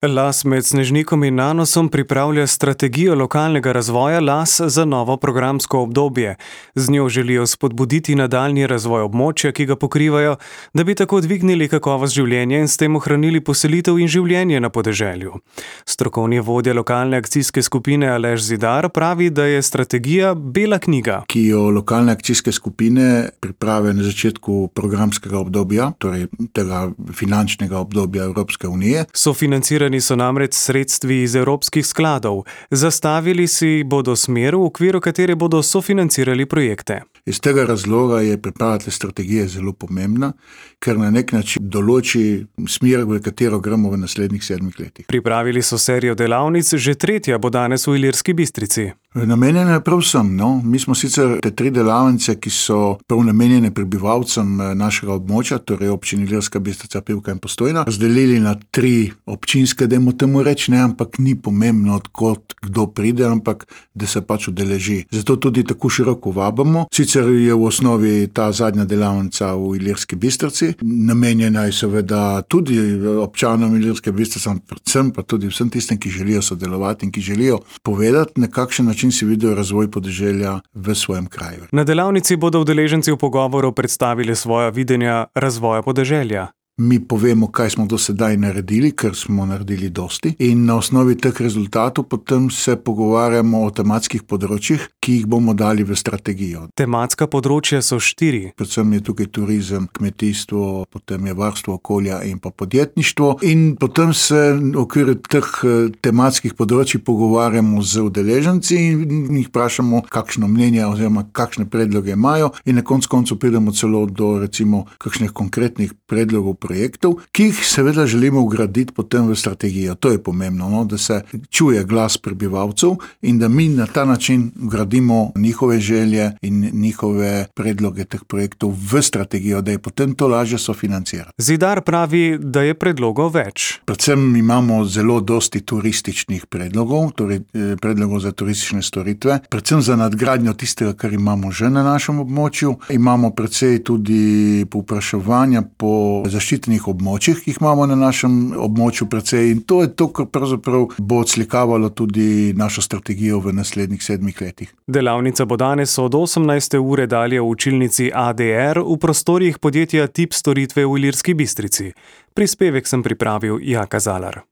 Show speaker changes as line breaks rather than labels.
Las med Snežnikom in Nanosom pripravlja strategijo lokalnega razvoja Las za novo programsko obdobje. Z njo želijo spodbuditi nadaljnji razvoj območja, ki ga pokrivajo, da bi tako dvignili kakovost življenja in s tem ohranili poselitev in življenje na podeželju. Strokovni vodja lokalne akcijske skupine Aleš Zidar pravi, da je strategija bela knjiga,
ki jo lokalne akcijske skupine pripravijo na začetku programskega obdobja, torej tega finančnega obdobja Evropske unije.
Sofinancirani so namreč sredstvi iz evropskih skladov. Zastavili si bodo smer, v okviru katere bodo sofinancirali projekte.
Iz tega razloga je priprava te strategije zelo pomembna, ker na nek način določi smer, v katero gremo v naslednjih 7 letih.
Pripravili so serijo delavnic, že tretja bo danes v Ilirski Bistrici.
Namenjene je prav vsem, Mi smo sicer te 3 delavnice, ki so prav namenjene prebivalcem našega območja, torej občini Ilirska Bistrica, Pivka in Postojna, razdelili na 3 občinske, dajmo temu reči, ampak ni pomembno, odkot kdo pride, ampak da se pač udeleži. Zato tudi tako široko vabimo. Sicer je v osnovi ta zadnja delavnica v Ilirski Bistrici, namenjena je seveda tudi občanom Ilirske Bistrice, predvsem pa tudi vsem tistim, ki želijo sodelovati in ki želijo povedati, na kakšen način si vidijo razvoj podeželja v svojem kraju.
Na delavnici bodo udeleženci v pogovoru predstavili svoja videnja razvoja podeželja.
Mi povemo, kaj smo do sedaj naredili, ker smo naredili dosti, in na osnovi teh rezultatov potem se pogovarjamo o tematskih področjih, ki jih bomo dali v strategijo.
Tematska področja so 4.
Predvsem je tukaj turizem, kmetijstvo, potem je varstvo okolja in pa podjetništvo, in potem se v okviru teh tematskih področij pogovarjamo z udeleženci in jih vprašamo, kakšno mnenje oziroma kakšne predloge imajo, in na koncu pridemo celo do recimo kakšnih konkretnih predlogov projektov, ki jih seveda želimo vgraditi potem v strategijo. To je pomembno, da se čuje glas prebivalcev in da mi na ta način vgradimo njihove želje in njihove predloge teh projektov v strategijo, da je potem to lažje sofinancirati.
Zidar pravi, da je predlogov več.
Predvsem imamo zelo dosti turističnih predlogov, torej predlogov za turistične storitve, predvsem za nadgradnjo tistega, kar imamo že na našem območju. Imamo precej tudi povpraševanja po zaščitenih območjih, ki jih imamo na našem območju precej, in to je to, kar pravzaprav bo odslikavalo tudi našo strategijo v naslednjih 7 letih.
Delavnica bo danes od 18. ure dalje v učilnici ADR v prostorih podjetja Tip storitve v Ilirski Bistrici. Prispevek sem pripravil Jaka Zalar.